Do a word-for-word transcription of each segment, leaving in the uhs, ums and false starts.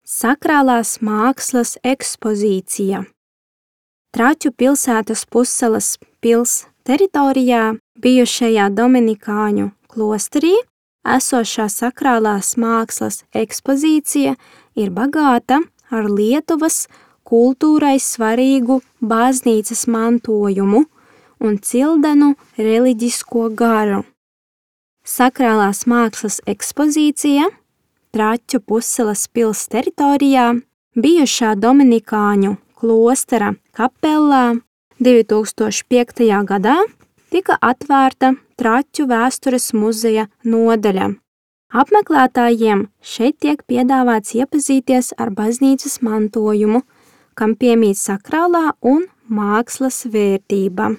Sakrālās mākslas ekspozīcija. Traķu pilsētas Pussalas pils teritorijā bijušajā Dominikāņu klosterī esošā sakrālās mākslas ekspozīcija ir bagāta ar Lietuvas kultūrai svarīgu baznīcas mantojumu un cildenu reliģisko garu. Sakrālās mākslas ekspozīcija Traķu Pussalas pils teritorijā bijušā Dominikāņu klostera kapellā divi tūkstoši piektajā gadā tika atvērta Traķu vēstures muzeja nodaļa. Apmeklētājiem šeit tiek piedāvāts iepazīties ar baznīcas mantojumu, kam piemīt sakrālā un mākslas vērtība.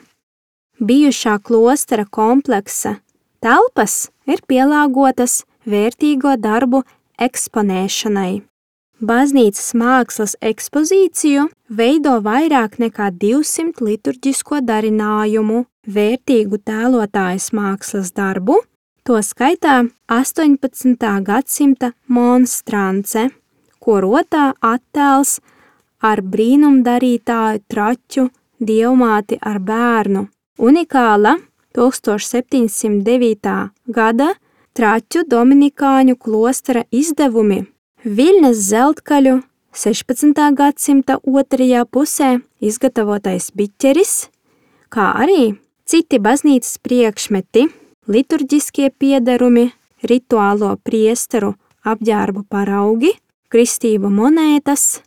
Bijušā klostera kompleksa telpas ir pielāgotas vērtīgo darbu eksponēšanai. Baznīcas mākslas ekspozīciju veido vairāk nekā divsimt liturģisko darinājumu, vērtīgu tēlotājas mākslas darbu, to skaitā astoņpadsmitā gadsimta monstrance, ko rotā attēls ar brīnumdarītāju Traķu dievmāti ar bērnu. Unikāla tūkstoš septiņsimt devītā gada Traķu Dominikāņu klostera izdevumi, Viļņas zeltkaļu sešpadsmitā gadsimta otrajā pusē izgatavotais biķeris, kā arī citi baznīcas priekšmeti, liturģiskie piederumi, rituālo priesteru apģērbu paraugi, kristību monētas,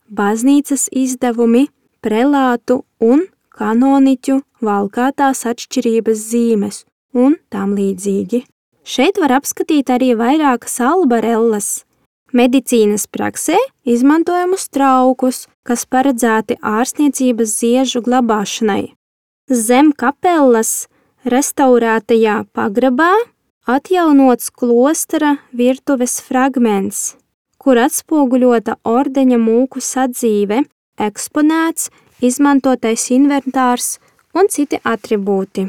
baznīcas izdevumi, prelātu un kanoniķu valkātās atšķirības zīmes un tam līdzīgi. Šeit var apskatīt arī vairākas albarellas, medicīnas praksē izmantojamus traukus, kas paredzēti ārstniecības ziežu glabāšanai. Zem kapellas restaurētajā pagrabā atjaunots klostera virtuves fragments, kur atspoguļota ordeņa mūku sadzīve, eksponēts, izmantotais inventārs un citi atribūti.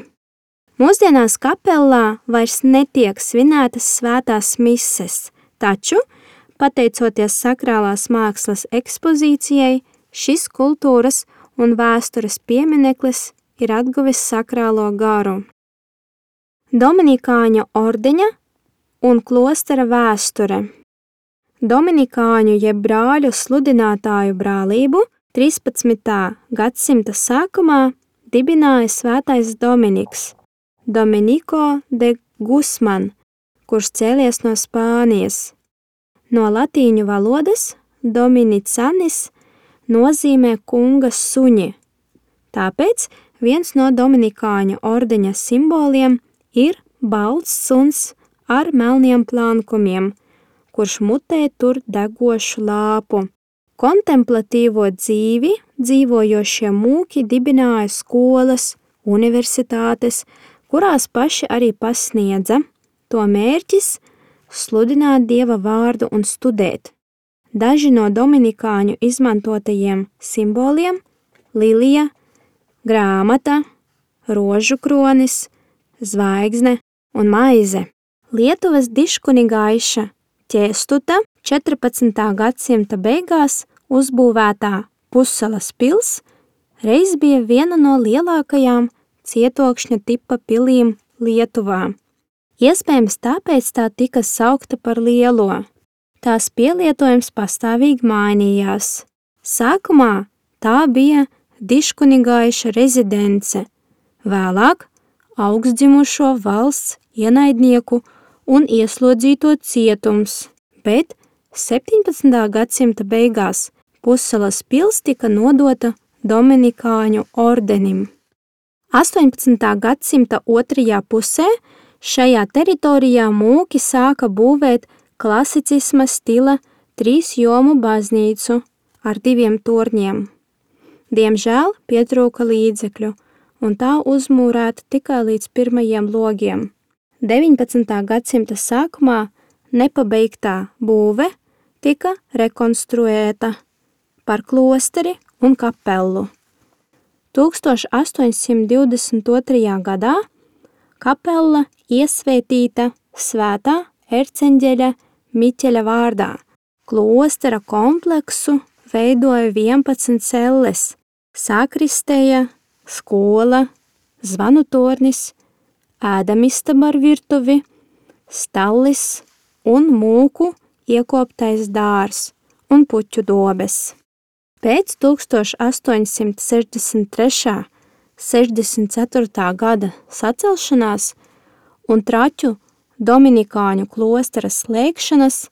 Mūsdienās kapellā vairs netiek svinētas svētās mises, taču, pateicoties sakrālās mākslas ekspozīcijai, šis kultūras un vēstures piemineklis ir atguvis sakrālo garu. Dominikāņu ordeņa un klostera vēsture. Dominikāņu jeb brāļu sludinātāju brālību trīspadsmitā gadsimta sākumā dibināja svētais Dominiks, Dominiko de Guzman, kurš cēlies no Spānijas. No latīņu valodas dominicanis nozīmē kunga suņi, tāpēc viens no dominikāņu ordeņa simboliem ir balts suns ar melniem plankumiem, kurš mutē tur degošu lāpu. Kontemplatīvo dzīvi dzīvojošie mūki dibināja skolas, universitātes, kurās paši arī pasniedza. To mērķis – sludināt Dieva vārdu un studēt. Daži no dominikāņu izmantotajiem simboliem – lilija, grāmata, rožu kronis, zvaigzne un maize. Lietuvas diškunigaiša Ķēstuta četrpadsmitā gadsimta beigās uzbūvētā Pussalas pils reiz bija viena no lielākajām cietokšņa tipa pilīm Lietuvā. Iespējams, tāpēc tā tika saukta par lielo. Tās pielietojums pastāvīgi mainījās. Sākumā tā bija diškunigaiša rezidence, vēlāk augstdzimušo valsts ienaidnieku un ieslodzīto cietums, bet septiņpadsmitā gadsimta beigās Pussalas pils tika nodota Dominikāņu ordenim. astoņpadsmitā gadsimta otrajā pusē šajā teritorijā mūki sāka būvēt klasicisma stila trīs jomu baznīcu ar diviem torņiem. Diemžēl pietrūka līdzekļu, un tā uzmūrēta tikai līdz pirmajiem logiem. deviņpadsmitā gadsimta sākumā nepabeigtā būve tika rekonstruēta par klosteri un kapellu. tūkstoš astoņsimt divdesmit otrajā gadā kapella iesvētīta svētā erceņģeļa Miķeļa vārdā, Klostera kompleksu veidoja vienpadsmit celles, sakristeja, skola, zvanu tornis, ēdamistaba ar virtuvi, stallis un mūku iekoptais dārs un puķu dobes. Pēc tūkstoš astoņsimt sešdesmit trešā - sešdesmit ceturtā gada sacelšanās un Traķu dominikāņu klostera slēgšanas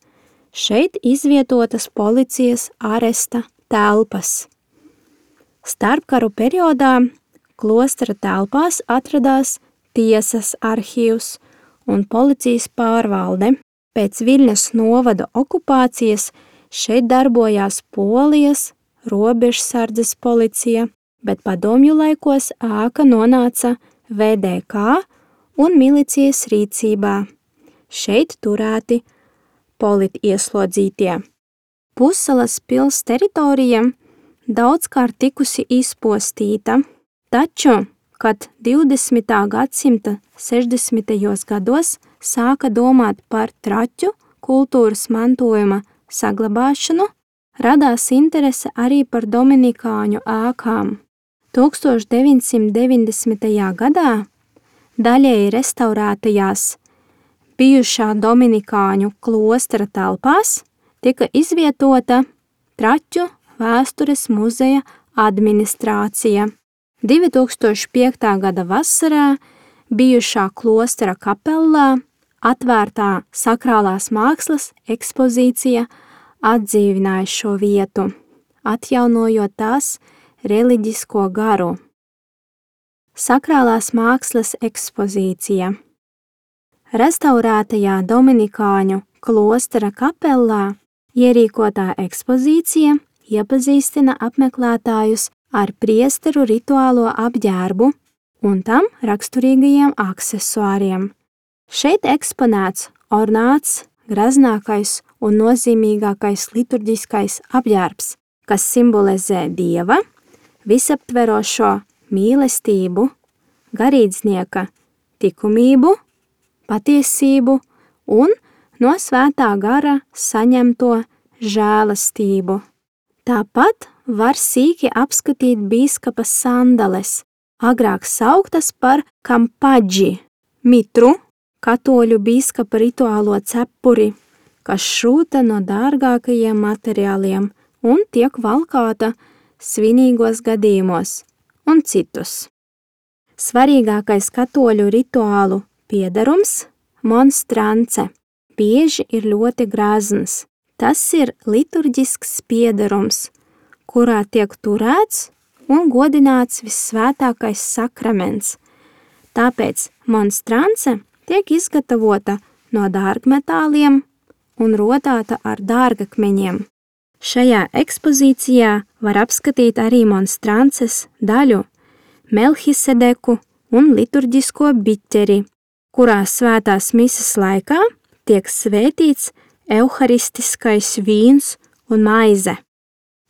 šeit izvietotas policijas aresta telpas. Starpkaru periodā klostera telpās atradās tiesas arhīvs un policijas pārvalde. Pēc Viļņas novada okupācijas šeit darbojās Polijas robežsardzes policija, bet padomju laikos ēka nonāca V D K un milicijas rīcībā. Šeit turēti politieslodzītie. Pussalas pils teritorija daudzkārt tikusi izpostīta, taču, kad divdesmitā gadsimta sešdesmitajos gados sāka domāt par Traķu kultūras mantojuma saglabāšanu, radās interese arī par dominikāņu ēkām. tūkstoš deviņsimt deviņdesmitajā gadā daļēji restaurētajās bijušā dominikāņu klostera telpās tika izvietota Traķu vēstures muzeja administrācija. divi tūkstoši piektā gada vasarā bijušā klostera kapellā atvērtā sakrālās mākslas ekspozīcija atdzīvināja šo vietu, atjaunojot tās reliģisko garu. Sakrālās mākslas ekspozīcija. Restaurētajā dominikāņu klostera kapellā ierīkotā ekspozīcija iepazīstina apmeklētājus ar priesteru rituālo apģērbu un tam raksturīgajiem aksesuāriem. Šeit eksponēts ornāts, graznākais un nozīmīgākais liturģiskais apģērbs, kas simbolizē Dieva, visaptverošo mīlestību, garīdznieka tikumību, patiesību un no svētā gara saņemto žēlastību. Tāpat var sīki apskatīt bīskapa sandales, agrāk sauktas par kampaģi, mitru, katoļu bīskapa rituālo cepuri, kas šūta no dārgākajiem materiāliem un tiek valkāta svinīgos gadījumos un citus. Svarīgākais katoļu rituālu piedarums – monstrance, bieži ir ļoti grazns. Tas ir liturģisks piedarums, kurā tiek turēts un godināts vissvētākais sakraments. Tāpēc monstrance tiek izgatavota no dārgmetāliem un rodāta ar dārgakmeņiem. Šajā ekspozīcijā var apskatīt arī monstrances daļu, Melhisedeku un liturģisko biķeri, kurā svētās mises laikā tiek svētīts euharistiskais vīns un maize.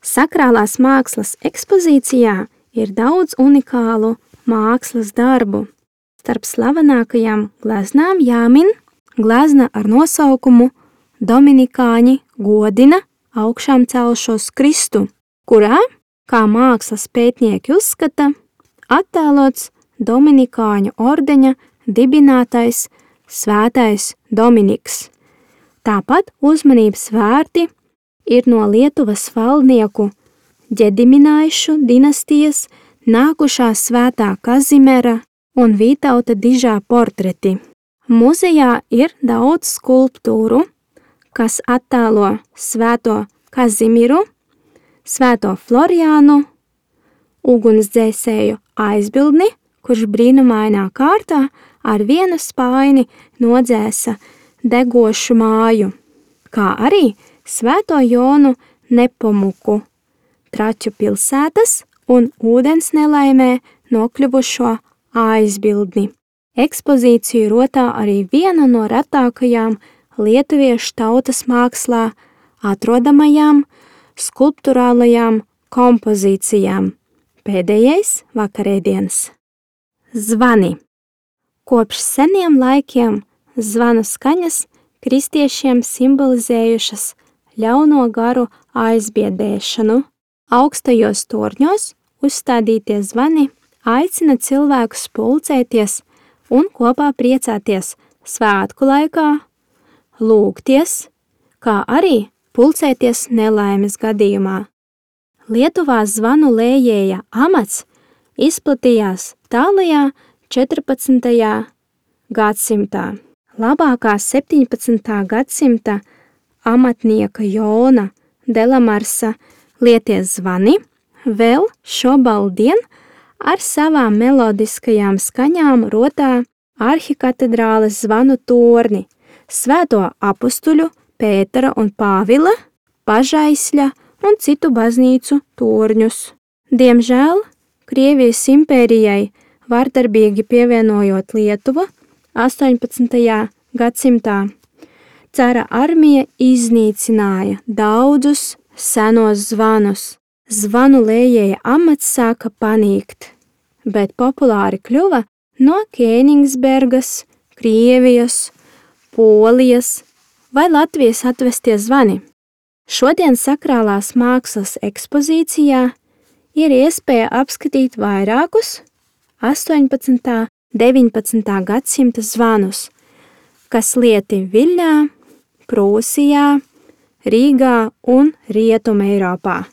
Sakrālās mākslas ekspozīcijā ir daudz unikālu mākslas darbu. Starp slavenākajām gleznām jāmin glezna ar nosaukumu Dominikāņi godina augšām celšos Kristu, kurā, kā mākslas pētnieki uzskata, attēlots Dominikāņu ordeņa dibinātais svētais Dominiks. Tāpat uzmanības vērti ir no Lietuvas valdnieku Ģediminaišu dinastijas nākušā svētā Kazimera un Vītauta dižā portreti. Muzejā ir daudz skulptūru, kas attēlo svēto Kazimiru, svēto Floriānu, ugunsdzēsēju aizbildni, kurš brīnumainā kārtā ar vienu spāini nodzēsa degošu māju, kā arī svēto Jonu Nepomuku, Traķu pilsētas un ūdens nelaimē nokļuvušo aizbildni. Ekspozīciju rotā arī viena no retākajām lietuviešu tautas mākslā atrodamajām skulpturālajām kompozīcijām. Pēdējais vakarēdienas. Zvani. Kopš seniem laikiem zvanu skaņas kristiešiem simbolizējušas ļauno garu aizbiedēšanu. Augstajos torņos uzstādītie zvani aicina cilvēkus pulcēties un kopā priecāties svētku laikā, lūgties, kā arī pulcēties nelaimes gadījumā. Lietuvā zvanu lējēja amats izplatījās tālajā četrpadsmitajā gadsimtā. Labākā septiņpadsmitā gadsimta amatnieka Jona Delamarsa lietie zvani vēl šobaldien ar savām melodiskajām skaņām rotā arhikatedrāles zvanu torni, Svēto apustuļu Pētera un Pāvila, Pažaisļa un citu baznīcu torņus. Diemžēl Krievijas impērijai vardarbīgi pievienojot Lietuvu astoņpadsmitajā gadsimtā, cara armija iznīcināja daudzus senos zvanus. Zvanu lējēja amats sāka panīkt, bet populāri kļuva no Kēnigsbergas, Krievijas, Polijas vai Latvijas atvestie zvani. Šodien sakrālās mākslas ekspozīcijā ir iespēja apskatīt vairākus astoņpadsmitā, deviņpadsmitā gadsimta zvanus, kas lieti Viļņā, Prūsijā, Rīgā un Rietumeiropā.